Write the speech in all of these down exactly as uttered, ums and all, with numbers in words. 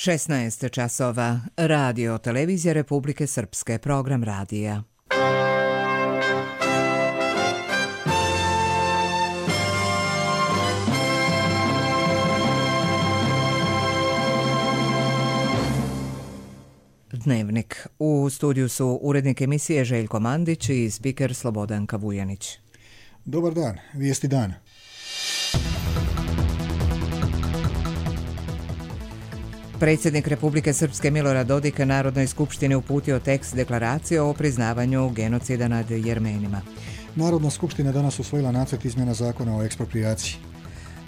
šesnaest časova. Radio Televizija Republike Srpske, program radija. Dnevnik. U studiju su urednik emisije Željko Mandić i spiker Slobodanka Vujanić. Dobar dan, vijesti dana. Predsjednik Republike Srpske Milorad Dodik Narodnoj skupštini uputio tekst deklaracije o priznavanju genocida nad Jermenima. Narodna skupština danas usvojila nacrt izmjena zakona o eksproprijaciji.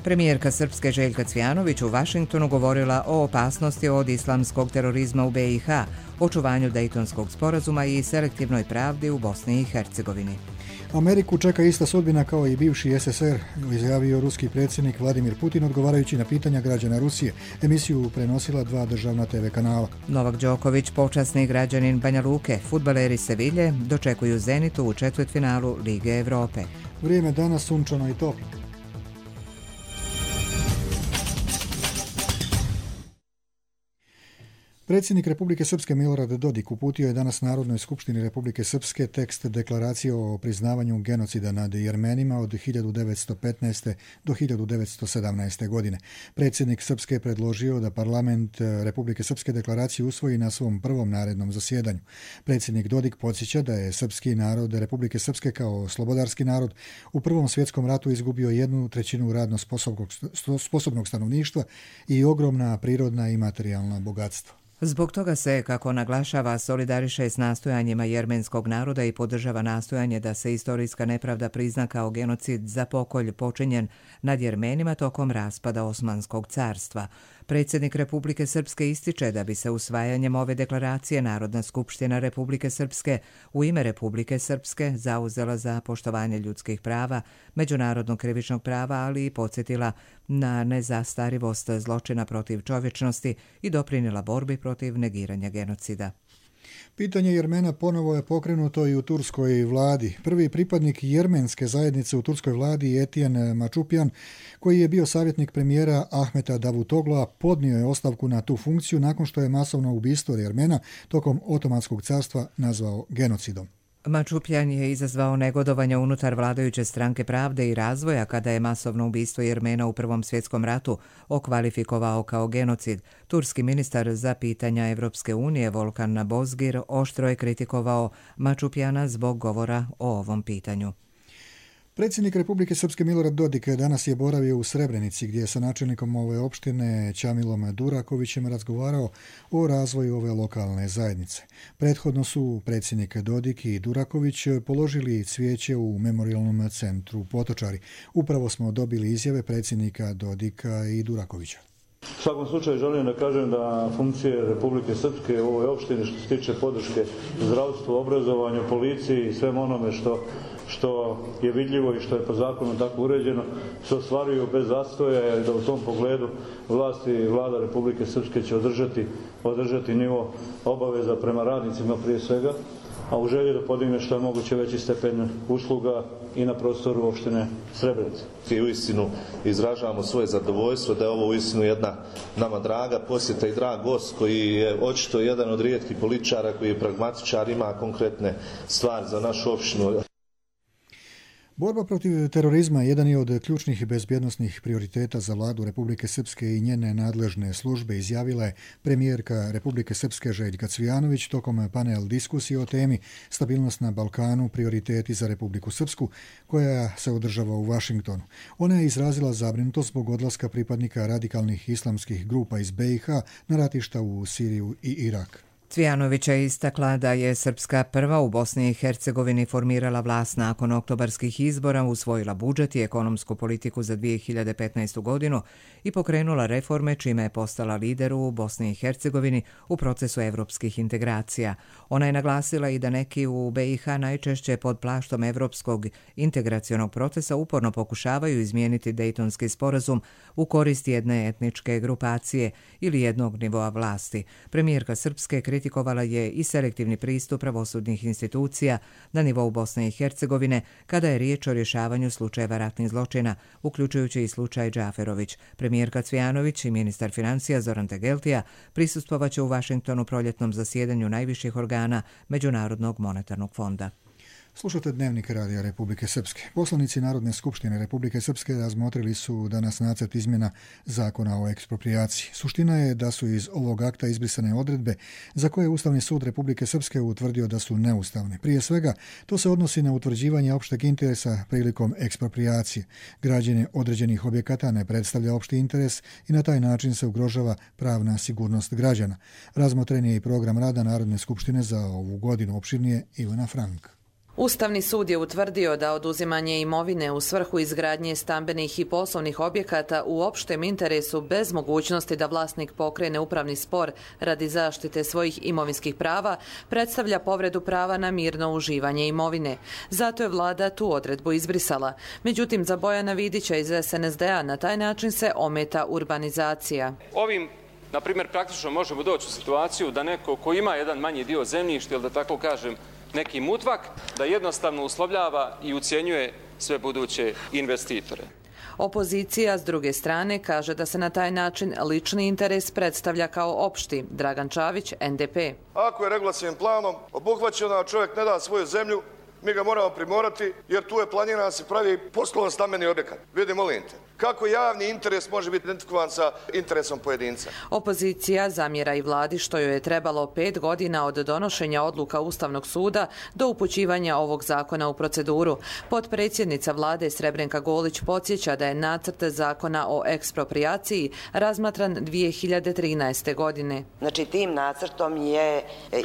Premijerka Srpske Željka Cvijanović u Vašingtonu govorila o opasnosti od islamskog terorizma u be i ha, očuvanju Dejtonskog sporazuma i selektivnoj pravdi u Bosni i Hercegovini. Ameriku čeka ista sudbina kao i bivši es es er, izjavio ruski predsjednik Vladimir Putin odgovarajući na pitanja građana Rusije. Emisiju prenosila dva državna te ve kanala. Novak Đoković, počasni građanin Banja Luke, fudbaleri Sevilje dočekuju Zenitu u četvrtfinalu Lige Evrope. Vrijeme danas sunčano i toplo. Predsjednik Republike Srpske Milorad Dodik uputio je danas Narodnoj skupštini Republike Srpske tekst deklaracije o priznavanju genocida nad Jermenima od hiljadu devetsto petnaeste. do hiljadu devetsto sedamnaeste. godine. Predsjednik Srpske je predložio da parlament Republike Srpske deklaraciju usvoji na svom prvom narednom zasjedanju. Predsjednik Dodik podsjeća da je srpski narod Republike Srpske kao slobodarski narod u Prvom svjetskom ratu izgubio jednu trećinu radno sposobnog, sposobnog stanovništva i ogromna prirodna i materijalna bogatstva. Zbog toga se, kako naglašava, solidariše s nastojanjima jermenskog naroda i podržava nastojanje da se istorijska nepravda prizna kao genocid za pokolj počinjen nad Jermenima tokom raspada Osmanskog carstva. Predsjednik Republike Srpske ističe da bi se usvajanjem ove deklaracije Narodna skupština Republike Srpske u ime Republike Srpske zauzela za poštovanje ljudskih prava, međunarodnog krivičnog prava, ali i podsjetila na nezastarivost zločina protiv čovječnosti i doprinijela borbi protiv negiranja genocida. Pitanje Jermena ponovo je pokrenuto i u turskoj vladi. Prvi pripadnik jermenske zajednice u turskoj vladi, Etijen Mačupjan, koji je bio savjetnik premijera Ahmeta Davutogla, podnio je ostavku na tu funkciju nakon što je masovno ubistvo Jermena tokom Otomanskog carstva nazvao genocidom. Mačupjan je izazvao negodovanje unutar vladajuće stranke Pravde i razvoja kada je masovno ubistvo Jermena u Prvom svjetskom ratu okvalifikovao kao genocid. Turski ministar za pitanja Evropske unije Volkan Bozgir oštro je kritikovao Mačupjana zbog govora o ovom pitanju. Predsjednik Republike Srpske Milorad Dodik danas je boravio u Srebrenici gdje je sa načelnikom ove opštine Čamilom Durakovićem razgovarao o razvoju ove lokalne zajednice. Prethodno su predsjednik Dodik i Duraković položili cvijeće u memorijalnom centru Potočari. Upravo smo dobili izjave predsjednika Dodika i Durakovića. U svakom slučaju želim da kažem da funkcije Republike Srpske u ovoj opštini što se tiče podrške zdravstvu, obrazovanju, policiji i svem onome što što je vidljivo i što je po zakonu tako uređeno, se ostvaruju bez zastoja i da u tom pogledu vlasti i vlada Republike Srpske će održati, održati nivo obaveza prema radnicima prije svega, a u želji da podigne što je moguće veći stepen usluga i na prostoru opštine Srebrenica. I uistinu izražavamo svoje zadovoljstvo da je ovo uistinu jedna nama draga posjeta i drag gost koji je očito jedan od rijetkih političara koji je pragmatičar, ima konkretne stvari za našu opštinu. Borba protiv terorizma jedan je od ključnih bezbjednosnih prioriteta za vladu Republike Srpske i njene nadležne službe, izjavila je premijerka Republike Srpske Željka Cvijanović tokom panel diskusije o temi Stabilnost na Balkanu, prioriteti za Republiku Srpsku, koja se održava u Vašingtonu. Ona je izrazila zabrinutost zbog odlaska pripadnika radikalnih islamskih grupa iz be i ha na ratišta u Siriju i Irak. Cvijanović je istakla da je Srpska prva u Bosni i Hercegovini formirala vlast nakon oktobarskih izbora, usvojila budžet i ekonomsku politiku za dvije hiljade petnaestu. godinu i pokrenula reforme čime je postala lider u Bosni i Hercegovini u procesu evropskih integracija. Ona je naglasila i da neki u be i ha najčešće pod plaštom evropskog integracionog procesa uporno pokušavaju izmijeniti Dejtonski sporazum u korist jedne etničke grupacije ili jednog nivoa vlasti. Premijerka Srpske kritikovала kritikovala je i selektivni pristup pravosudnih institucija na nivou Bosne i Hercegovine kada je riječ o rješavanju slučajeva ratnih zločina, uključujući i slučaj Džaferović. Premijerka Cvijanović i ministar financija Zoran Tegeltija prisustvovaće u Vašingtonu proljetnom zasjedanju najviših organa Međunarodnog monetarnog fonda. Slušate Dnevnik Radija Republike Srpske. Poslanici Narodne skupštine Republike Srpske razmotrili su danas nacrt izmjena zakona o eksproprijaciji. Suština je da su iz ovog akta izbrisane odredbe za koje je Ustavni sud Republike Srpske utvrdio da su neustavne. Prije svega, to se odnosi na utvrđivanje opšteg interesa prilikom eksproprijacije. Građenje određenih objekata ne predstavlja opšti interes i na taj način se ugrožava pravna sigurnost građana. Razmotren je i program rada Narodne skupštine za ovu godinu. Opširnije Ivana Frank. Ustavni sud je utvrdio da oduzimanje imovine u svrhu izgradnje stambenih i poslovnih objekata u opštem interesu bez mogućnosti da vlasnik pokrene upravni spor radi zaštite svojih imovinskih prava predstavlja povredu prava na mirno uživanje imovine. Zato je vlada tu odredbu izbrisala. Međutim, za Bojana Vidića iz S N S D-a na taj način se ometa urbanizacija. Ovim Na primjer, praktično možemo doći u situaciju da neko ko ima jedan manji dio zemljišta, ili da tako kažem, neki mutvak, da jednostavno uslovljava i ucjenjuje sve buduće investitore. Opozicija, s druge strane, kaže da se na taj način lični interes predstavlja kao opšti. Dragan Čavić, N D P. Ako je regulacijnim planom obuhvaćeno da čovjek ne da svoju zemlju, mi ga moramo primorati, jer tu je planirano da se pravi poslovan stambeni objekat. Vidi, molim te, kako javni interes može biti identifikovan sa interesom pojedinca? Opozicija zamjera i vladi što joj je trebalo pet godina od donošenja odluka Ustavnog suda do upućivanja ovog zakona u proceduru. Potpredsjednica vlade Srebrenka Golić podsjeća da je nacrt zakona o eksproprijaciji razmatran dvije hiljade trinaeste. godine. Znači, tim nacrtom je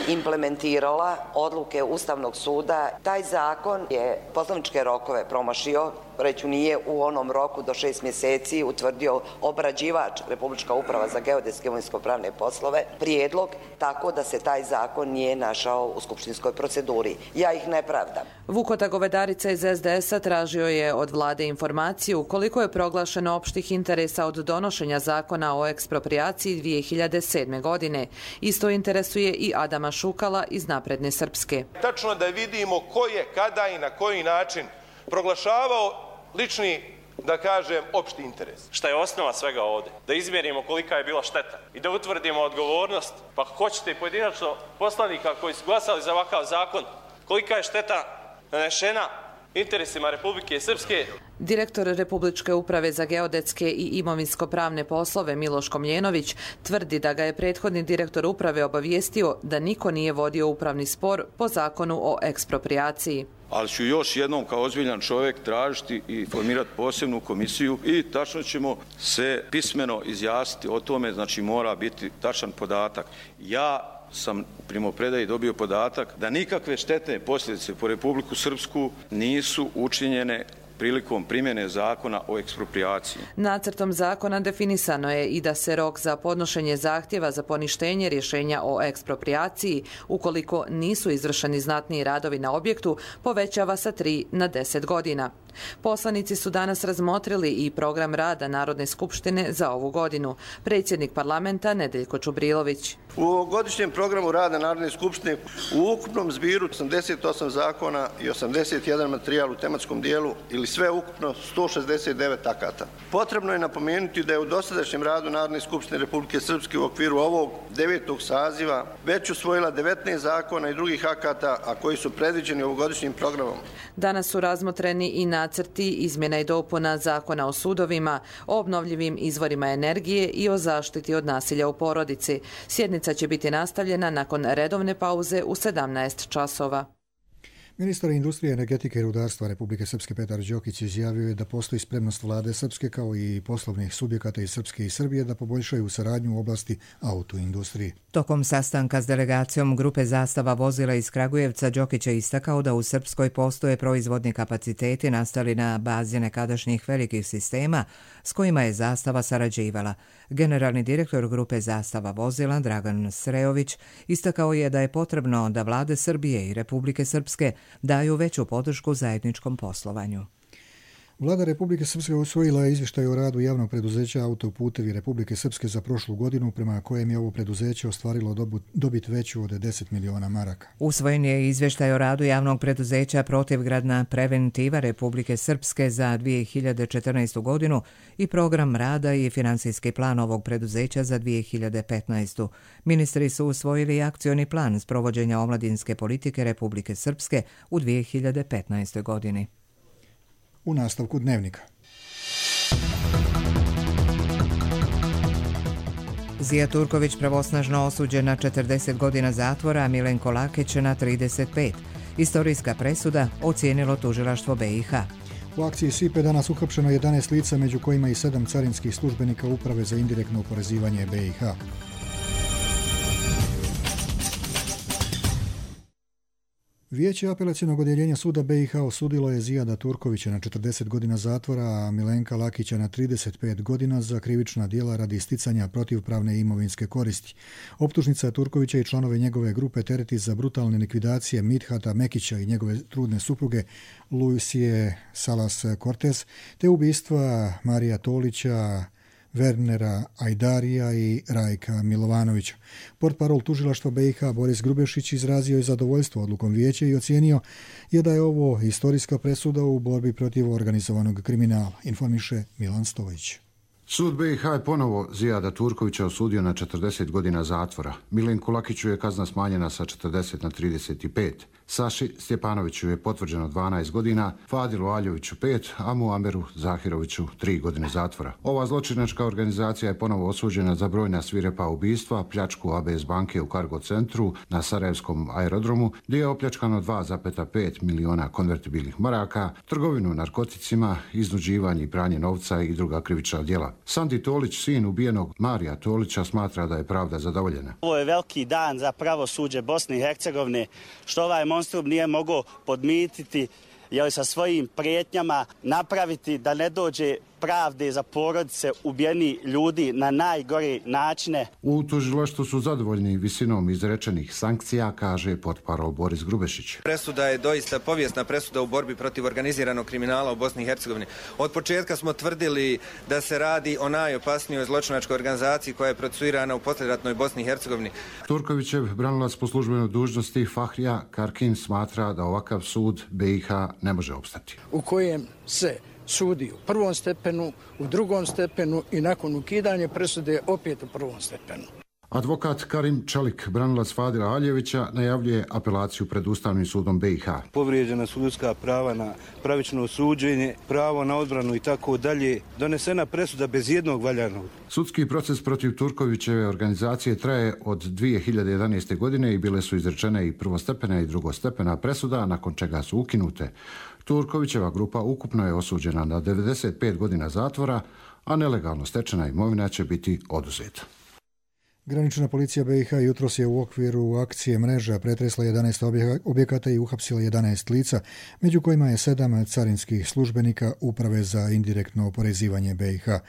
implementirala odluke Ustavnog suda. Taj zakon je poslovničke rokove promašio, reću nije u onom roku do šest mjeseci utvrdio obrađivač Republička uprava za geodetske imovinsko-pravne poslove prijedlog, tako da se taj zakon nije našao u skupštinskoj proceduri. Ja ih ne pravdam. Vukota Govedarica iz S D S-a tražio je od vlade informaciju koliko je proglašeno opštih interesa od donošenja zakona o eksproprijaciji dvije hiljade sedme. godine. Isto interesuje i Adama Šukala iz Napredne Srpske. Tačno da vidimo ko je, kada i na koji način proglašavao lični, da kažem, opšti interes. Šta je osnova svega ovdje? Da izmjerimo kolika je bila šteta i da utvrdimo odgovornost, pa ako hoćete i pojedinačno poslanika koji su glasali za ovakav zakon, kolika je šteta nanešena interesima Republike Srpske. Direktor Republičke uprave za geodetske i imovinsko-pravne poslove Miloš Komljenović tvrdi da ga je prethodni direktor uprave obavijestio da niko nije vodio upravni spor po zakonu o eksproprijaciji. Ali ću još jednom kao ozbiljan čovjek tražiti i formirati posebnu komisiju i tačno ćemo se pismeno izjasniti o tome, znači mora biti tačan podatak. Ja sam u primopredaji dobio podatak da nikakve štetne posljedice po Republiku Srpsku nisu učinjene prilikom primjene zakona o eksproprijaciji. Nacrtom zakona definisano je i da se rok za podnošenje zahtjeva za poništenje rješenja o eksproprijaciji, ukoliko nisu izvršeni znatniji radovi na objektu, povećava sa tri na deset godina. Poslanici su danas razmotrili i program rada Narodne skupštine za ovu godinu. Predsjednik parlamenta Nedeljko Čubrilović. U ovogodišnjem programu rada Narodne skupštine u ukupnom zbiru osamdeset osam zakona i osamdeset jedan materijal u tematskom dijelu ili sve ukupno sto šezdeset devet akata. Potrebno je napomenuti da je u dosadašnjem radu Narodne skupštine Republike Srpske u okviru ovog devetog saziva već usvojila devetnaest zakona i drugih akata, a koji su predviđeni ovogodišnjim programom. Danas su razmotreni i nacrti izmjena i dopuna zakona o sudovima, o obnovljivim izvorima energije i o zaštiti od nasilja u porodici. Sjednica će biti nastavljena nakon redovne pauze u sedamnaest časova. Ministar industrije, energetike i rudarstva Republike Srpske Petar Đokić izjavio je da postoji spremnost vlade Srpske kao i poslovnih subjekata iz Srpske i Srbije da poboljšaju saradnju u oblasti autoindustrije. Tokom sastanka s delegacijom grupe Zastava vozila iz Kragujevca Đokić je istakao da u Srpskoj postoje proizvodni kapaciteti nastali na bazi nekadašnjih velikih sistema s kojima je Zastava sarađivala. Generalni direktor grupe Zastava vozila Dragan Srejović istakao je da je potrebno da vlade Srbije i Republike Srpske daju veću podršku zajedničkom poslovanju. Vlada Republike Srpske usvojila je izvještaj o radu javnog preduzeća Autoputevi Republike Srpske za prošlu godinu, prema kojem je ovo preduzeće ostvarilo dobit veću od deset miliona maraka. Usvojen je izvještaj o radu javnog preduzeća Protivgradna preventiva Republike Srpske za dvije hiljade četrnaestu godinu i program rada i finansijski plan ovog preduzeća za dvije hiljade petnaestu. Ministri su usvojili akcioni plan sprovođenja omladinske politike Republike Srpske u dvije hiljade petnaestoj godini. U nastavku dnevnika. Zija Turković pravosnažno osuđen na četrdeset godina zatvora, a Milenko Lakić na trideset pet. Istorijska presuda ocijenilo tužilaštvo B i H. U akciji S I P E danas uhapšeno jedanaest lica, među kojima i sedam carinskih službenika Uprave za indirektno oporezivanje B i H. Vijeće apelacionog odjeljenja suda B i H osudilo je Zijada Turkovića na četrdeset godina zatvora, a Milenka Lakića na trideset pet godina za krivična djela radi isticanja protivpravne imovinske koristi. Optužnica Turkovića i članove njegove grupe tereti za brutalne likvidacije Midhata Mekića i njegove trudne supruge Luisije Salas Cortez, te ubistva Marija Tolića, Wernera Ajdarija i Rajka Milovanovića. Portparol tužilaštva B i H Boris Grubešić izrazio je zadovoljstvo odlukom vijeća i ocijenio je da je ovo historijska presuda u borbi protiv organizovanog kriminala, informiše Milan Stojić. Sud B i H je ponovo Zijada Turkovića osudio na četrdeset godina zatvora. Milenku Lakiću je kazna smanjena sa četrdeset na trideset pet. Saši Stjepanoviću je potvrđeno dvanaest godina, Fadilu Aljoviću pet, a Muameru Zahiroviću tri godine zatvora. Ova zločinačka organizacija je ponovo osuđena za brojna svirepa ubistva, pljačku A B S banke u Cargo centru na Sarajevskom aerodromu, gdje je opljačkano dva zarez pet miliona konvertibilnih maraka, trgovinu narkoticima, iznuđivanje i pranje novca i druga krivična djela. Sandi Tolić, sin ubijenog Marija Tolića, smatra da je pravda zadovoljena. Ovo je veliki dan za pravosuđe Bosne i Hercegovine, što ovaj monstrum nije mogao podmititi, jeli sa svojim prijetnjama napraviti da ne dođe pravde za porodice ubijeni ljudi na najgore načine. U tužilaštvu su zadovoljni visinom izrečenih sankcija, kaže portparol Boris Grubešić. Presuda je doista povijesna presuda u borbi protiv organiziranog kriminala u Bosni i Hercegovini. Od početka smo tvrdili da se radi o najopasnijoj zločinačkoj organizaciji koja je procesuirana u poslijeratnoj Bosni i Hercegovini. Turkovićev branilac po službenoj dužnosti Fahrija Karkin smatra da ovakav sud B i H ne može opstati. U kojem se sudi u prvom stepenu, u drugom stepenu i nakon ukidanja presude opet u prvom stepenu. Advokat Karim Čelik, branilac Fadila Aljevića, najavljuje apelaciju pred Ustavnim sudom B i H. Povrijeđena su ljudska prava na pravično suđenje, pravo na odbranu i tako dalje. Donesena presuda bez jednog valjanog. Sudski proces protiv Turkovićeve organizacije traje od dvije hiljade jedanaeste. godine i bile su izrečene i prvostepena i drugostepena presuda, nakon čega su ukinute. Turkovićeva grupa ukupno je osuđena na devedeset pet godina zatvora, a nelegalno stečena imovina će biti oduzeta. Granična policija B i H jutros je u okviru akcije Mreža pretresla jedanaest objekata i uhapsila jedanaest lica, među kojima je sedam carinskih službenika Uprave za indirektno oporezivanje B i H.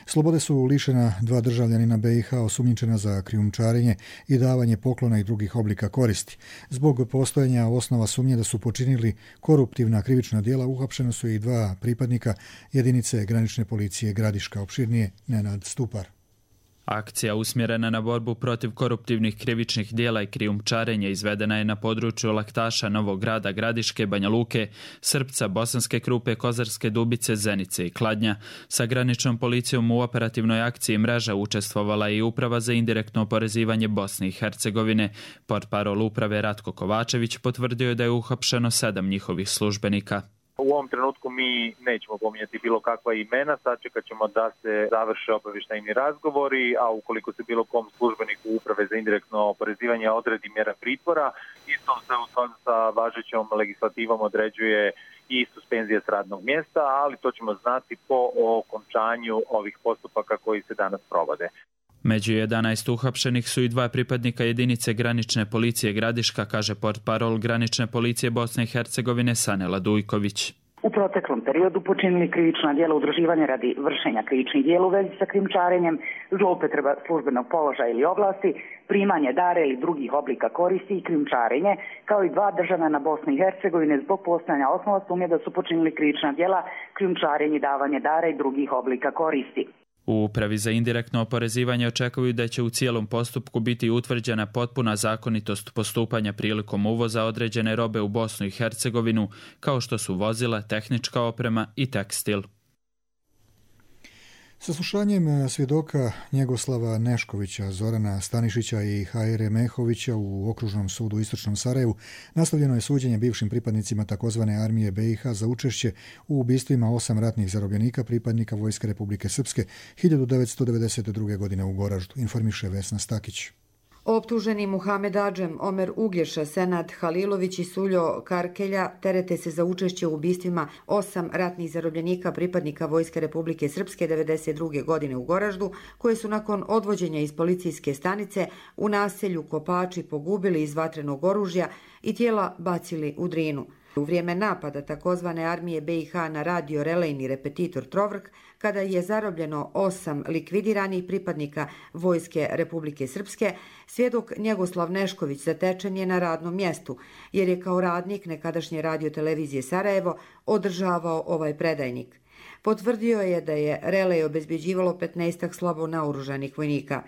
Slobode su lišena dva državljanina B i H osumnjičena za krijumčarenje i davanje poklona i drugih oblika koristi. Zbog postojanja osnova sumnje da su počinili koruptivna krivična djela, uhapšena su i dva pripadnika jedinice granične policije Gradiška. Opširnije Nenad Stupar. Akcija usmjerena na borbu protiv koruptivnih krivičnih dijela i krijumčarenja izvedena je na području Laktaša, Novog Grada, Gradiške, Banja Luke, Srpca, Bosanske Krupe, Kozarske Dubice, Zenice i Kladnja. Sa graničnom policijom u operativnoj akciji Mreža učestvovala i Uprava za indirektno oporezivanje Bosne i Hercegovine. Portparol uprave Ratko Kovačević potvrdio je da je uhapšeno sedam njihovih službenika. U ovom trenutku mi nećemo pominjati bilo kakva imena, sačekat ćemo da se završe obavještajni razgovori, a ukoliko se bilo kom službeniku Uprave za indirektno oporezivanje odredi mjera pritvora, isto se u skladu sa važećom legislativom određuje i suspenzija s radnog mjesta, ali to ćemo znati po okončanju ovih postupaka koji se danas provode. Među jedanaest uhapšenih su i dva pripadnika jedinice granične policije Gradiška, kaže portparol granične policije Bosne i Hercegovine Sanela Dujković. u proteklom periodu počinili krivična djela udruživanja radi vršenja krivičnih djela u vezi sa krijumčarenjem, zloupotreba službenog položaja ili oblasti, primanje dara ili drugih oblika koristi i krijumčarenje, kao i dva državljana Bosne i Hercegovine zbog postojanja osnova sumnje da su počinili krivična djela krijumčarenje, davanje dara i drugih oblika koristi. U Upravi za indirektno oporezivanje očekuju da će u cijelom postupku biti utvrđena potpuna zakonitost postupanja prilikom uvoza određene robe u Bosnu i Hercegovinu, kao što su vozila, tehnička oprema i tekstil. Saslušanjem svjedoka Njegoslava Neškovića, Zorana Stanišića i Hajre Mehovića u Okružnom sudu u Istočnom Sarajevu nastavljeno je suđenje bivšim pripadnicima takozvane armije be i ha za učešće u ubistvima osam ratnih zarobljenika pripadnika Vojske Republike Srpske hiljadu devetsto devedeset druge. godine u Goraždu, informiše Vesna Stakić. Optuženi Muhamed Adžem, Omer Uglješa, Senad Halilović i Suljo Karkelja terete se za učešće u ubistvima osam ratnih zarobljenika pripadnika Vojske Republike Srpske devedeset druge. godine u Goraždu, koje su nakon odvođenja iz policijske stanice u naselju Kopači pogubili iz vatrenog oružja i tijela bacili u Drinu. U vrijeme napada takozvane armije be i ha na radio relejni repetitor Trovrk, kada je zarobljeno osam likvidiranih pripadnika Vojske Republike Srpske, svjedok Njegoslav Nešković zatečen je na radnom mjestu, jer je kao radnik nekadašnje radiotelevizije Sarajevo održavao ovaj predajnik. Potvrdio je da je relej obezbeđivalo petnaestak slabo naoružanih vojnika.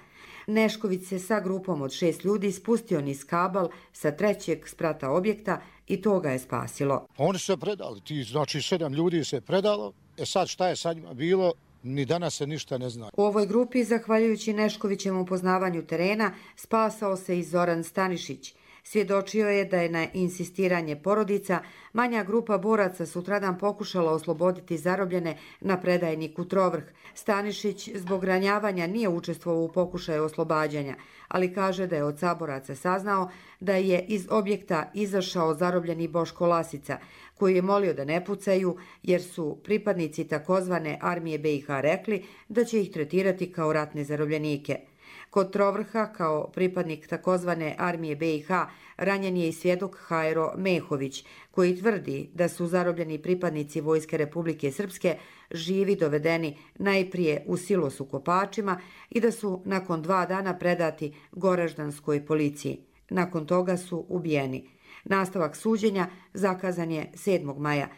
Nešković se sa grupom od šest ljudi spustio niz kabal sa trećeg sprata objekta i to ga je spasilo. Oni su se predali, ti, znači sedam ljudi se predalo, e sad šta je sa njima bilo, ni danas se ništa ne zna. U ovoj grupi, zahvaljujući Neškovićem upoznavanju terena, spasao se i Zoran Stanišić. Svjedočio je da je na insistiranje porodica manja grupa boraca sutradan pokušala osloboditi zarobljene na predajniku Trovrh. Stanišić zbog ranjavanja nije učestvovao u pokušaju oslobađanja, ali kaže da je od saboraca saznao da je iz objekta izašao zarobljeni Boško Lasica, koji je molio da ne pucaju jer su pripadnici takozvane armije be i ha rekli da će ih tretirati kao ratne zarobljenike. Kod Trovrha, kao pripadnik takozvane armije be i ha, ranjen je i svjedok Hajro Mehović, koji tvrdi da su zarobljeni pripadnici Vojske Republike Srpske živi dovedeni najprije u silos u Kopačima i da su nakon dva dana predati goraždanskoj policiji. Nakon toga su ubijeni. Nastavak suđenja zakazan je sedmog maja.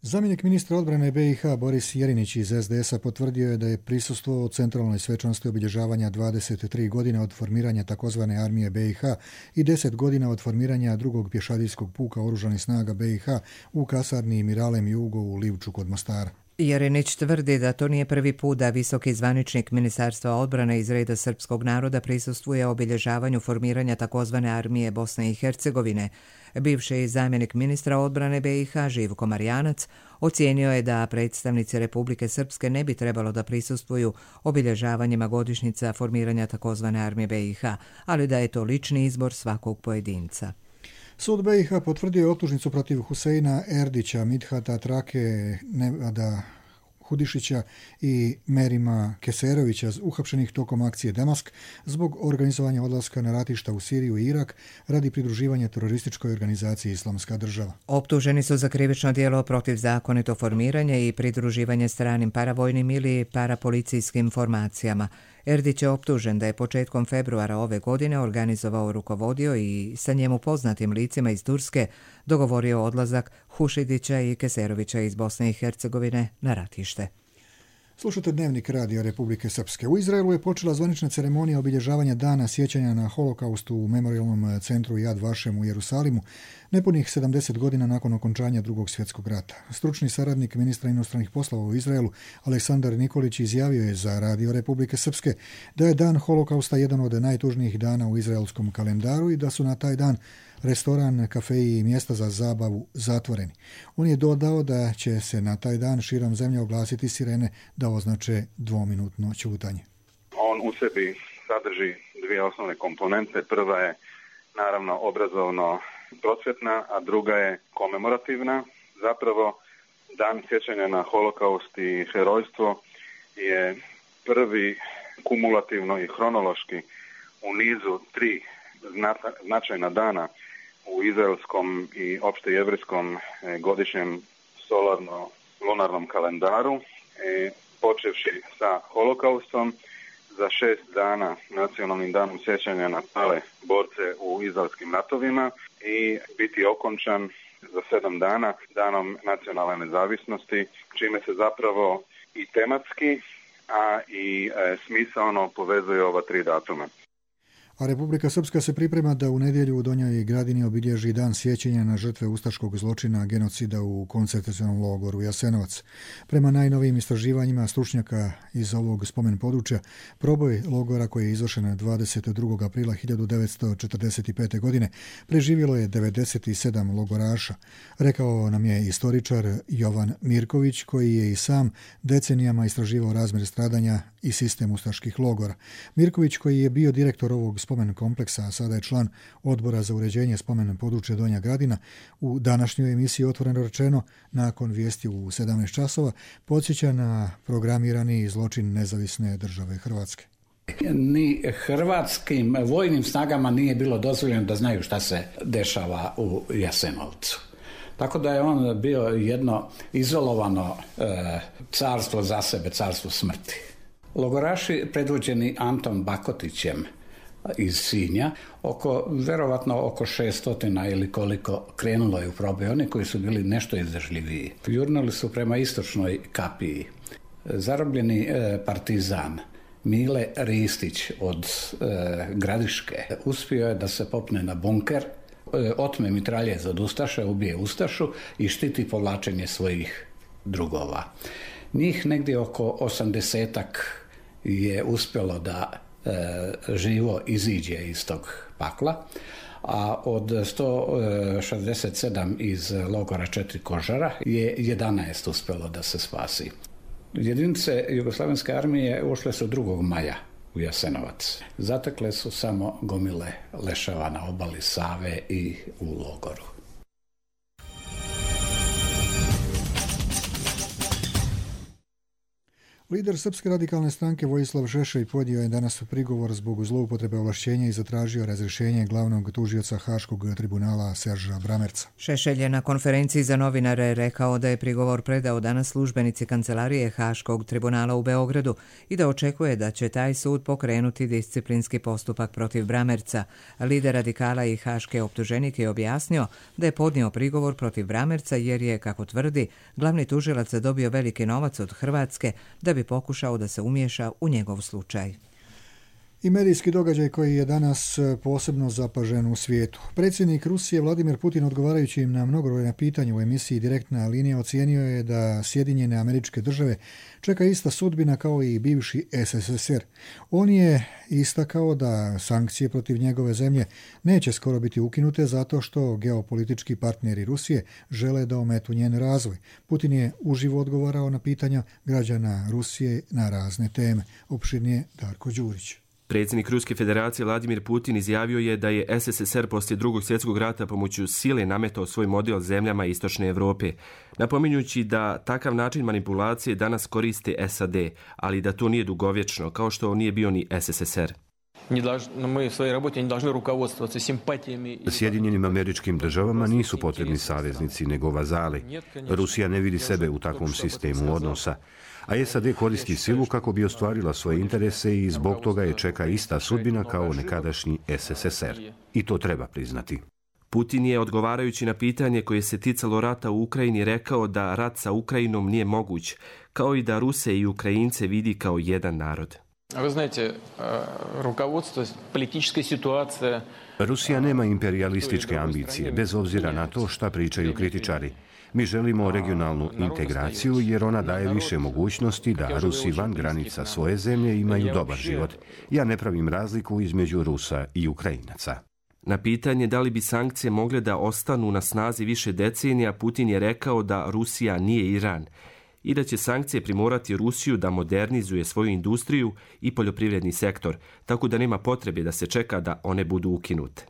Zamjenik ministra odbrane be i ha Boris Jerinić iz es de esa potvrdio je da je prisustvovao u centralnoj svečanosti obilježavanja dvadeset tri godine od formiranja takozvane armije be i ha i deset godina od formiranja drugog pješadijskog puka oružanih snaga be i ha u kasarni Miralem Jugo u Livču kod Mostara. Jerinić tvrdi da to nije prvi put da visoki zvaničnik Ministarstva odbrane iz reda srpskog naroda prisustvuje obilježavanju formiranja takozvane armije Bosne i Hercegovine. Bivši zamjenik ministra odbrane be i ha Živko Marjanac ocijenio je da predstavnici Republike Srpske ne bi trebalo da prisustvuju obilježavanjima godišnjica formiranja takozvane armije be i ha, ali da je to lični izbor svakog pojedinca. Sud be i ha potvrdio je optužnicu protiv Huseina Erdića, Midhata Trake, Nevada Hudišića i Merima Keserovića, uhapšenih tokom akcije Damask zbog organizovanja odlaska na ratišta u Siriju i Irak radi pridruživanja terorističkoj organizaciji Islamska država. Optuženi su za krivično djelo protiv zakonito formiranje i pridruživanje stranim paravojnim ili parapolicijskim formacijama. Erdić je optužen da je početkom februara ove godine organizovao, rukovodio i sa njemu poznatim licima iz Turske dogovorio odlazak Hušidića i Keserovića iz Bosne i Hercegovine na ratište. Slušate Dnevnik radija Republike Srpske. U Izraelu je počela zvanična ceremonija obilježavanja dana sjećanja na holokaustu u memorijalnom centru Yad Vashem u Jerusalimu, nepunih sedamdeset godina nakon okončanja Drugog svjetskog rata. Stručni saradnik ministra inostranih poslova u Izraelu, Aleksandar Nikolić, izjavio je za radio Republike Srpske da je dan holokausta jedan od najtužnijih dana u izraelskom kalendaru i da su na taj dan restoran, kafeji i mjesta za zabavu zatvoreni. On je dodao da će se na taj dan širom zemlje oglasiti sirene da označe dvominutno ćutanje. On u sebi sadrži dvije osnovne komponente. Prva je naravno obrazovno prosvjetna, a druga je komemorativna. Zapravo dan sjećanja na holokaust i herojstvo je prvi kumulativno i hronološki u nizu tri značajna dana u izraelskom i opšte jevrijskom godišnjem solarno-lunarnom kalendaru, i počevši sa holokaustom, za šest dana nacionalnim danom sjećanja na pale borce u izraelskim ratovima i biti okončan za sedam dana danom nacionalne nezavisnosti, čime se zapravo i tematski, a i e, smisaono povezuje ova tri datuma. A Republika Srpska se priprema da u nedjelju u Donjoj Gradini obilježi dan sjećanja na žrtve ustaškog zločina genocida u koncentracionom logoru Jasenovac. Prema najnovijim istraživanjima stručnjaka iz ovog spomen područja, proboj logora koji je izvršen dvadeset drugog aprila hiljadu devetsto četrdeset pete. godine preživjelo je devedeset sedam logoraša. Rekao nam je istoričar Jovan Mirković, koji je i sam decenijama istraživao razmjer stradanja i sistem ustaških logora. Mirković, koji je bio direktor ovog spomen kompleksa, a sada je član odbora za uređenje spomen područja Donja Gradina, u današnjoj emisiji Otvoreno rečeno, nakon vijesti u sedamnaest časova, podsjeća na programirani zločin nezavisne države Hrvatske. Ni hrvatskim vojnim snagama nije bilo dozvoljeno da znaju šta se dešava u Jasenovcu. Tako da je on bio jedno izolovano e, carstvo za sebe, carstvo smrti. Logoraši predvođeni Antom Bakotićem iz Sinja, oko, verovatno oko šeststotina ili koliko, krenulo je u proboj. Oni koji su bili nešto izdržljiviji jurnuli su prema istočnoj kapiji. Zarobljeni e, partizan Mile Ristić od e, Gradiške uspio je da se popne na bunker, e, otme mitraljez od Ustaše, ubije Ustašu i štiti povlačenje svojih drugova. Njih negdje oko osamdesetak je uspjelo da e, živo iziđe iz tog pakla, a od sto šezdeset sedam iz logora Četiri kožara je jedanaest uspjelo da se spasi. Jedinice Jugoslavenske armije ušle su drugog maja u Jasenovac. Zatekle su samo gomile leševa na obali Save i u logoru. Lider Srpske radikalne stranke Vojislav Šešelj podnio je danas prigovor zbog zloupotrebe ovlašćenja i zatražio razrješenje glavnog tužioca Haškog tribunala Serža Bramerca. Šešelj je na konferenciji za novinare rekao da je prigovor predao danas službenici kancelarije Haškog tribunala u Beogradu i da očekuje da će taj sud pokrenuti disciplinski postupak protiv Bramerca. Lider radikala i haške optuženik je objasnio da je podnio prigovor protiv Bramerca jer je, kako tvrdi, glavni tužilac dobio veliki novac od Hrvatske da bi pokušao da se umiješa u njegov slučaj. I medijski događaj koji je danas posebno zapažen u svijetu. Predsjednik Rusije Vladimir Putin, odgovarajući im na mnogobrojna pitanja u emisiji Direktna linija, ocijenio je da Sjedinjene Američke Države čeka ista sudbina kao i bivši S S S R. On je istakao da sankcije protiv njegove zemlje neće skoro biti ukinute zato što geopolitički partneri Rusije žele da ometu njen razvoj. Putin je uživo odgovarao na pitanja građana Rusije na razne teme. Opširnije Darko Đurić. Predsjednik Ruske federacije Vladimir Putin izjavio je da je S S S R poslije drugog svjetskog rata pomoću sile nametao svoj model zemljama Istočne Europe, napominjući da takav način manipulacije danas koriste S A D, ali da to nije dugovječno, kao što nije bio ni S S S R. Sjedinjenim Američkim Državama nisu potrebni saveznici nego vazali. Rusija ne vidi sebe u takvom sistemu odnosa, a S A D koristi silu kako bi ostvarila svoje interese i zbog toga je čeka ista sudbina kao nekadašnji S S S R. I to treba priznati. Putin je, odgovarajući na pitanje koje se ticalo rata u Ukrajini, rekao da rat sa Ukrajinom nije moguć, kao i da Ruse i Ukrajince vidi kao jedan narod. Rusija nema imperialističke ambicije, bez obzira na to šta pričaju kritičari. Mi želimo regionalnu integraciju jer ona daje više mogućnosti da Rusi van granica svoje zemlje imaju dobar život. Ja ne pravim razliku između Rusa i Ukrajinaca. Na pitanje da li bi sankcije mogle da ostanu na snazi više decenija, Putin je rekao da Rusija nije Iran i da će sankcije primorati Rusiju da modernizuje svoju industriju i poljoprivredni sektor, tako da nema potrebe da se čeka da one budu ukinute.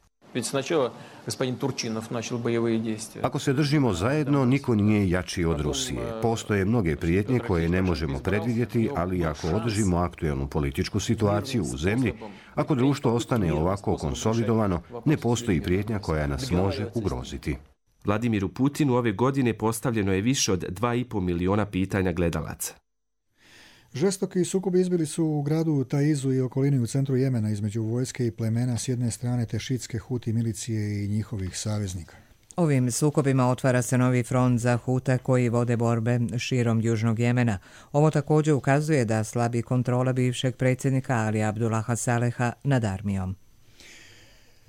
Ako se držimo zajedno, niko nije jači od Rusije. Postoje mnoge prijetnje koje ne možemo predvidjeti, ali ako održimo aktuelnu političku situaciju u zemlji, ako društvo ostane ovako konsolidovano, ne postoji prijetnja koja nas može ugroziti. Vladimiru Putinu ove godine postavljeno je više od dva i pol miliona pitanja gledalaca. Žestoki sukobi izbili su u gradu Taizu i okolini u centru Jemena između vojske i plemena s jedne strane te šitske Huti milicije i njihovih saveznika. Ovim sukobima otvara se novi front za Hute koji vode borbe širom južnog Jemena. Ovo također ukazuje da slabi kontrola bivšeg predsjednika Ali Abdullaha Saleha nad armijom.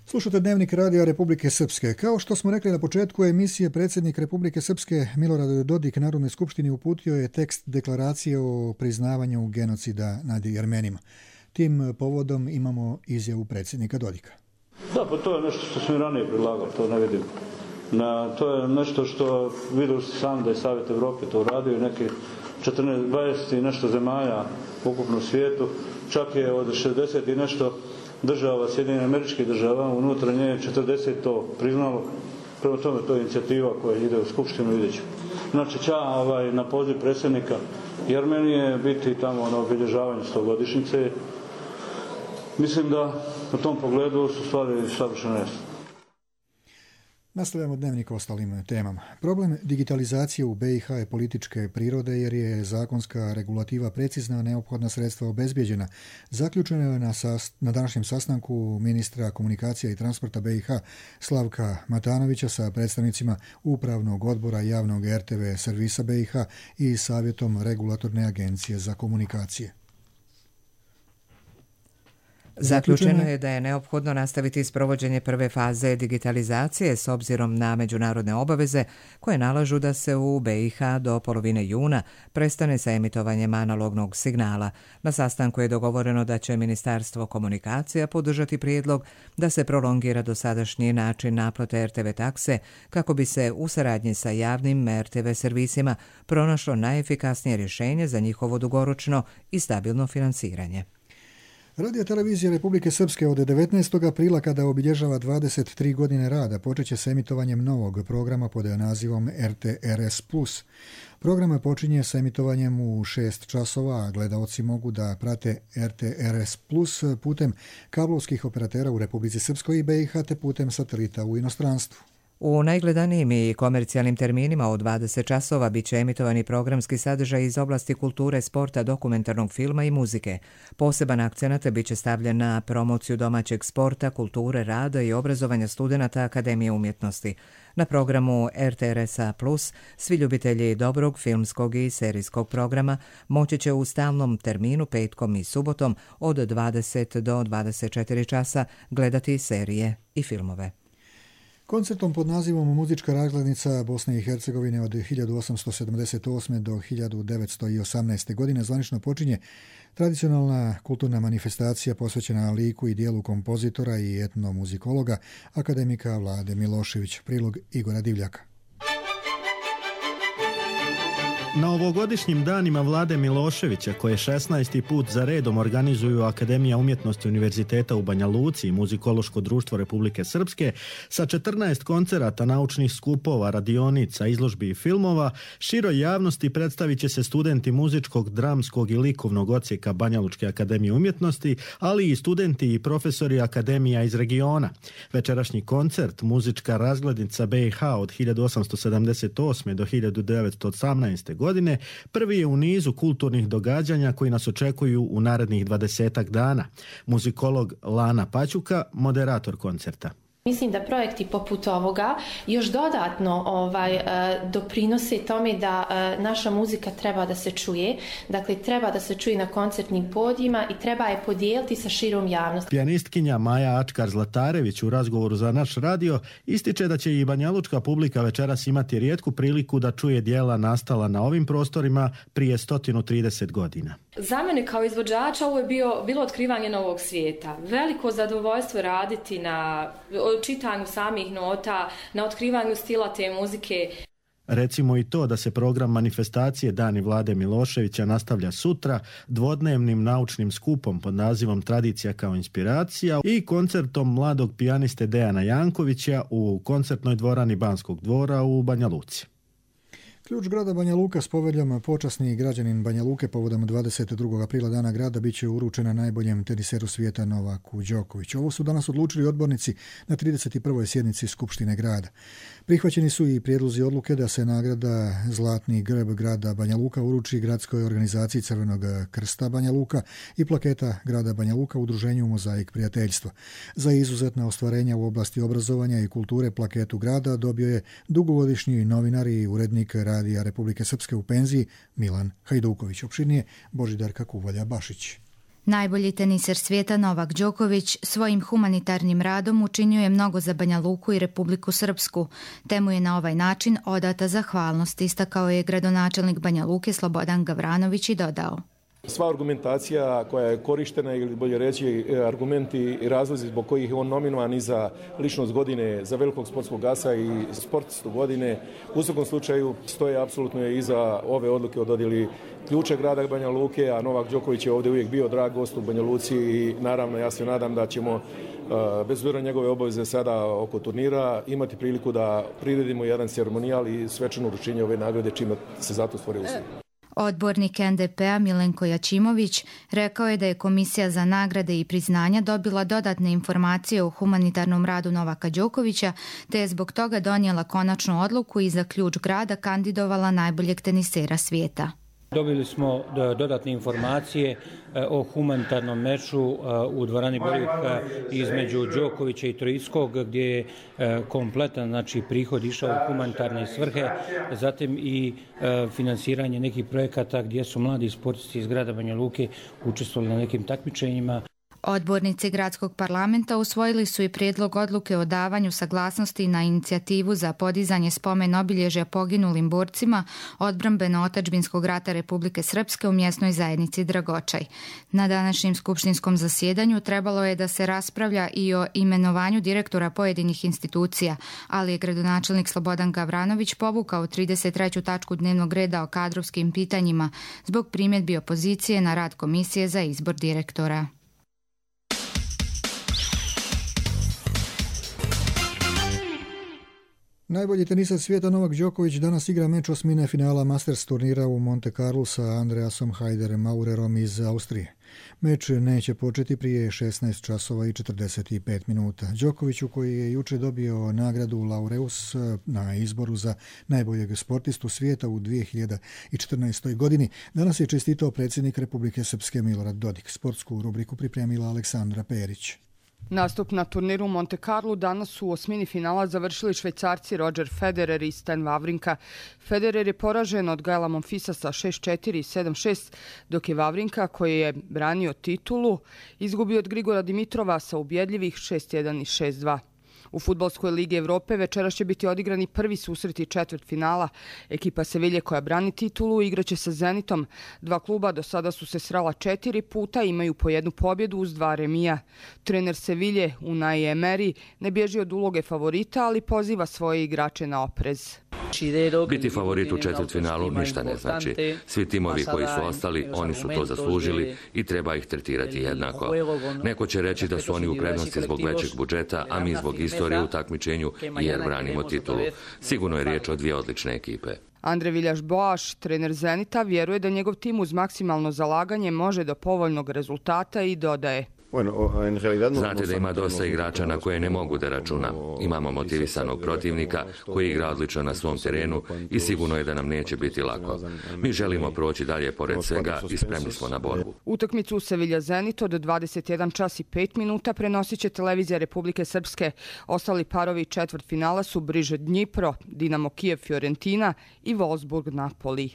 Slušate Dnevnik radija Republike Srpske. Kao što smo rekli na početku emisije, predsjednik Republike Srpske Milorad Dodik Narodnoj skupštini uputio je tekst deklaracije o priznavanju genocida nad Jermenima. Tim povodom imamo izjavu predsjednika Dodika. Da, pa to je nešto što smo i ranije predlagali, to ne vidim. Na, to je nešto što vidio ste sami da je Savjet Evrope to uradio i neke četrnaest dvadeset i nešto zemalja ukupno u svijetu. Čak je od šezdeset i nešto država, Sjedinjenih Američkih država, unutra nje četrdeset to priznalo. Prema tome to je inicijativa koja ide u Skupštinu ideću. Znači će ovaj, na poziv predsjednika Jermenije biti tamo na obilježavanju stogodišnjice. Mislim da u tom pogledu su stvari savršeno jasne. Nastavljamo Dnevnik o ostalim temama. Problem digitalizacije u be i ha je političke prirode jer je zakonska regulativa precizna, neophodna sredstva obezbijeđena. Zaključeno je na, sast, na današnjem sastanku ministra komunikacija i transporta be i ha Slavka Matanovića sa predstavnicima Upravnog odbora javnog er te ve servisa be i ha i Savjetom regulatorne agencije za komunikacije. Zaključeno je da je neophodno nastaviti sprovođenje prve faze digitalizacije s obzirom na međunarodne obaveze koje nalažu da se u be i ha do polovine juna prestane sa emitovanjem analognog signala. Na sastanku je dogovoreno da će Ministarstvo komunikacija podržati prijedlog da se prolongira dosadašnji način naplate er te ve takse kako bi se u saradnji sa javnim er te ve servisima pronašlo najefikasnije rješenje za njihovo dugoročno i stabilno finansiranje. Radio televizija Republike Srpske od devetnaestog aprila, kada obilježava dvadeset tri godine rada, počeće s emitovanjem novog programa pod nazivom er te er es plus. Program počinje sa emitovanjem u šest časova, a gledaoci mogu da prate er te er es plus putem kablovskih operatera u Republici Srpskoj i be i ha te putem satelita u inostranstvu. U najgledanijim i komercijalnim terminima od dvadeset časova bit će emitovani programski sadržaj iz oblasti kulture, sporta, dokumentarnog filma i muzike. Poseban akcenat bit će stavljen na promociju domaćeg sporta, kulture, rada i obrazovanja studenata Akademije umjetnosti. Na programu er te er es plus svi ljubitelji dobrog filmskog i serijskog programa moći će u stalnom terminu petkom i subotom od dvadeset do dvadeset četiri časa gledati serije i filmove. Koncertom pod nazivom Muzička razglednica Bosne i Hercegovine od hiljadu osamsto sedamdeset osme do hiljadu devetsto osamnaeste. godine zvanično počinje tradicionalna kulturna manifestacija posvećena liku i dijelu kompozitora i etnomuzikologa akademika Vlade Milošević. Prilog Igora Divljaka. Na ovogodišnjim danima Vlade Miloševića, koje šesnaesti put za redom organizuju Akademija umjetnosti Univerziteta u Banja Luci i Muzikološko društvo Republike Srpske, sa četrnaest koncerata, naučnih skupova, radionica, izložbi i filmova, široj javnosti predstavit će se studenti muzičkog, dramskog i likovnog odsjeka Banja Lučke akademije umjetnosti, ali i studenti i profesori akademija iz regiona. Večerašnji koncert, Muzička razglednica be i ha od hiljadu osamsto sedamdeset osme. do hiljadu devetsto osamnaeste. godine, prvi je u nizu kulturnih događanja koji nas očekuju u narednih dvadesetak dana. Muzikolog Lana Paćuka, moderator koncerta. Mislim da projekti poput ovoga još dodatno ovaj, doprinose tome da naša muzika treba da se čuje. Dakle, treba da se čuje na koncertnim podijima i treba je podijeliti sa širom javnosti. Pijanistkinja Maja Ačkar-Zlatarević u razgovoru za naš radio ističe da će i banjalučka publika večeras imati rijetku priliku da čuje dijela nastala na ovim prostorima prije sto trideset godina. Za mene kao izvođača ovo je bio, bilo otkrivanje novog svijeta. Veliko zadovoljstvo raditi na čitanju samih nota, na otkrivanju stila te muzike. Recimo i to da se program manifestacije Dani Vlade Miloševića nastavlja sutra dvodnevnim naučnim skupom pod nazivom Tradicija kao inspiracija i koncertom mladog pijaniste Dejana Jankovića u koncertnoj dvorani Banskog dvora u Banja Luci. Ključ grada Banja Luka s poveljom počasni građanin Banja Luke povodom dvadeset drugog aprila dana grada bit će uručena najboljem teniseru svijeta Novaku Đokoviću. Ovo su danas odlučili odbornici na trideset prvoj sjednici Skupštine grada. Prihvaćeni su i prijedlozi odluke da se nagrada Zlatni grb grada Banja Luka uruči gradskoj organizaciji Crvenog krsta Banja Luka i plaketa grada Banja Luka udruženju Mozaik prijateljstva. Za izuzetna ostvarenja u oblasti obrazovanja i kulture plaketu grada dobio je dugogodišnji novinar i urednik Radija Republike Srpske u penziji Milan Hajduković. Opširnije Božidarka Kuvalja-Bašić. Najbolji teniser svijeta Novak Đoković svojim humanitarnim radom učinio je mnogo za Banja Luku i Republiku Srpsku, te mu je na ovaj način odata zahvalnost, istakao je gradonačelnik Banja Luke Slobodan Gavranović i dodao. Sva argumentacija koja je korištena, ili bolje reći argumenti i razlozi zbog kojih je on nominovan i za ličnost godine, za velikog sportskog asa i sportistu godine, u svakom slučaju stoje apsolutno je iza ove odluke o dodjeli ključa grada Banja Luke, a Novak Đoković je ovdje uvijek bio drag gost u Banja Luci i naravno ja se nadam da ćemo bez obzira njegove obaveze sada oko turnira imati priliku da priredimo jedan ceremonijal i svečano uručenje ove nagrade čime se zato stvore uslovi. Odbornik en de pe-a Milenko Jačimović rekao je da je Komisija za nagrade i priznanja dobila dodatne informacije o humanitarnom radu Novaka Đokovića, te je zbog toga donijela konačnu odluku i za ključ grada kandidovala najboljeg tenisera svijeta. Dobili smo dodatne informacije o humanitarnom meču u dvorani Boljuk između Đokovića i Troickog, gdje je kompletan znači, prihod išao u humanitarne svrhe, zatim i finansiranje nekih projekata gdje su mladi sportisti iz grada Banja Luke učestvovali na nekim takmičenjima. Odbornici gradskog parlamenta usvojili su i prijedlog odluke o davanju saglasnosti na inicijativu za podizanje spomen obilježja poginulim borcima odbrambeno-otadžbinskog rata Republike Srpske u mjesnoj zajednici Dragočaj. Na današnjem skupštinskom zasjedanju trebalo je da se raspravlja i o imenovanju direktora pojedinih institucija, ali je gradonačelnik Slobodan Gavranović povukao trideset treću tačku dnevnog reda o kadrovskim pitanjima zbog primjedbi opozicije na rad Komisije za izbor direktora. Najbolji tenisar svijeta Novak Đoković danas igra meč osmine finala Masters turnira u Monte Carlo sa Andreasom Hajder Maurerom iz Austrije. Meč neće početi prije šesnaest časova i četrdeset pet minuta. Đokoviću, koji je juče dobio nagradu Laureus na izboru za najboljeg sportistu svijeta u dvije hiljade četrnaestoj. godini, danas je čestitao predsjednik Republike Srpske Milorad Dodik. Sportsku rubriku pripremila Aleksandra Perić. Nastup na turniru Monte Carlo danas su u osmini finala završili Švajcarci Roger Federer i Stan Wawrinka. Federer je poražen od Gaela Monfilsa sa šest četiri i sedam šest, dok je Wawrinka, koji je branio titulu, izgubio od Grigora Dimitrova sa ubjedljivih šest jedan i šest dva. U Fudbalskoj ligi Evrope večeras će biti odigrani prvi susreti četvrt finala. Ekipa Sevilje, koja brani titulu, igraće sa Zenitom. Dva kluba do sada su se srela četiri puta i imaju po jednu pobjedu uz dva remija. Trener Sevilje, Unai Emery, ne bježi od uloge favorita, ali poziva svoje igrače na oprez. Biti favorit u četvrtfinalu ništa ne znači. Svi timovi koji su ostali, oni su to zaslužili i treba ih tretirati jednako. Neko će reći da su oni u prednosti zbog većeg budžeta, a mi zbog istorije u takmičenju jer branimo titulu. Sigurno je riječ o dvije odlične ekipe. Andre Viljaš-Boaš, trener Zenita, vjeruje da njegov tim uz maksimalno zalaganje može do povoljnog rezultata i dodaje. Znate da ima dosta igrača na koje ne mogu da računam. Imamo motivisanog protivnika koji igra odlično na svom terenu i sigurno je da nam neće biti lako. Mi želimo proći dalje pored svega i spremni smo na borbu. Utakmicu u Sevilja Zenit od dvadeset jedan čas i pet minuta prenosit će televizija Republike Srpske. Ostali parovi četvrt finala su Briže Dnjipro, Dinamo Kijev Fiorentina i Wolfsburg Napoli.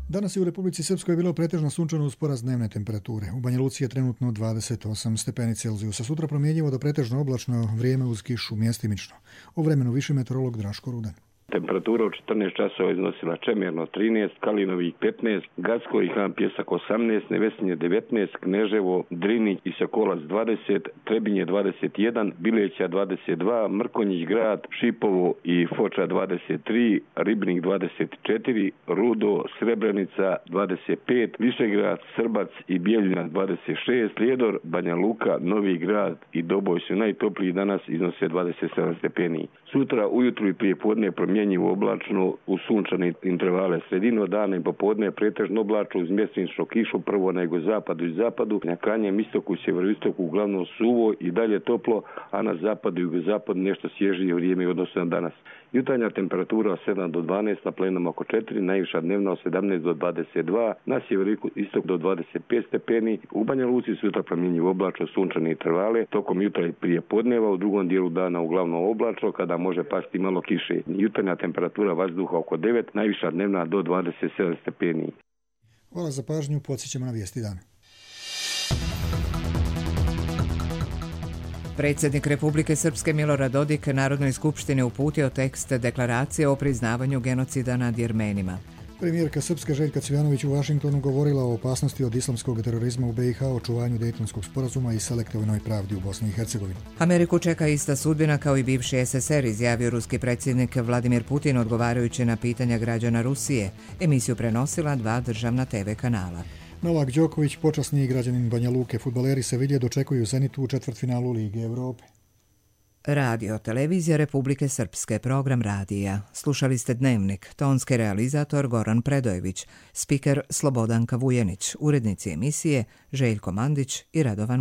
Danas je u Republici Srpskoj bilo pretežno sunčano uz porast dnevne temperature. U Banja Luci je trenutno dvadeset osam stepeni Celzijusa. Sutra promjenjivo do pretežno oblačno, vrijeme uz kišu mjestimično. O vremenu više meteorolog Draško Rudan. Temperatura u četrnaest časova iznosila Čemerno trinaest, Kalinovik petnaest, Gacko i Han Pjesak osamnaest, Nevesinje devetnaest, Kneževo, Drinić i Sokolac dvadeset, Trebinje dvadeset jedan, Bileća dvadeset dva, Mrkonjić Grad, Šipovo i Foča dvadeset tri, Ribnik dvadeset četiri, Rudo, Srebrenica dvadeset pet, Višegrad, Srbac i Bijeljina dvadeset šest, Prijedor, Banja Luka, Novi Grad i Doboj su najtopliji, danas iznose dvadeset sedam stepeni. Sutra ujutru i prije podne promjenjivo oblačno u sunčane intervale, sredino dana i popodne pretežno oblačno uz mjesečnu kišu, prvo na jugozapadu i zapadu, na krajnjem istoku i sjeveroistoku uglavnom suvo i dalje toplo, a na zapadu i jugozapadu nešto svježije vrijeme u odnosu na danas. Jutarnja temperatura sedam do dvanaest, na plenama oko četiri, najviša dnevna od sedamnaest do dvadeset dva, na sjeveroistok do dvadeset pet stepeni, u Banja Luci sutra promjenjivo oblačno sunčane intervale, tokom jutra i prije podneva, u drugom dijelu dana uglavnom oblačno, kada može pasti malo kiše. Jutarnja temperatura vazduha oko devet, najviša dnevna do dvadeset sedam stepeni. Hvala za pažnju, podsjećamo na vijesti dana. Predsjednik Republike Srpske Milorad Dodik Narodnoj skupštini uputio tekst deklaracije o priznavanju genocida nad Jermenima. Premijerka Srpske Željka Cvijanović u Vašingtonu govorila o opasnosti od islamskog terorizma u B i H, očuvanju Dejtonskog sporazuma i selektivnoj pravdi u Bosni i Hercegovini. Ameriku čeka ista sudbina kao i bivši S S R, izjavio ruski predsjednik Vladimir Putin odgovarajući na pitanja građana Rusije. Emisiju prenosila dva državna T V kanala. Novak Đoković, počasni građanin Banja Luke, fudbaleri Sevilje dočekuju Zenitu u četvrtfinalu Lige Evrope. Radio Televizija Republike Srpske, program radija. Slušali ste Dnevnik, tonski realizator Goran Predojević, spiker Slobodanka Vujenić, urednici emisije Željko Mandić i Radovan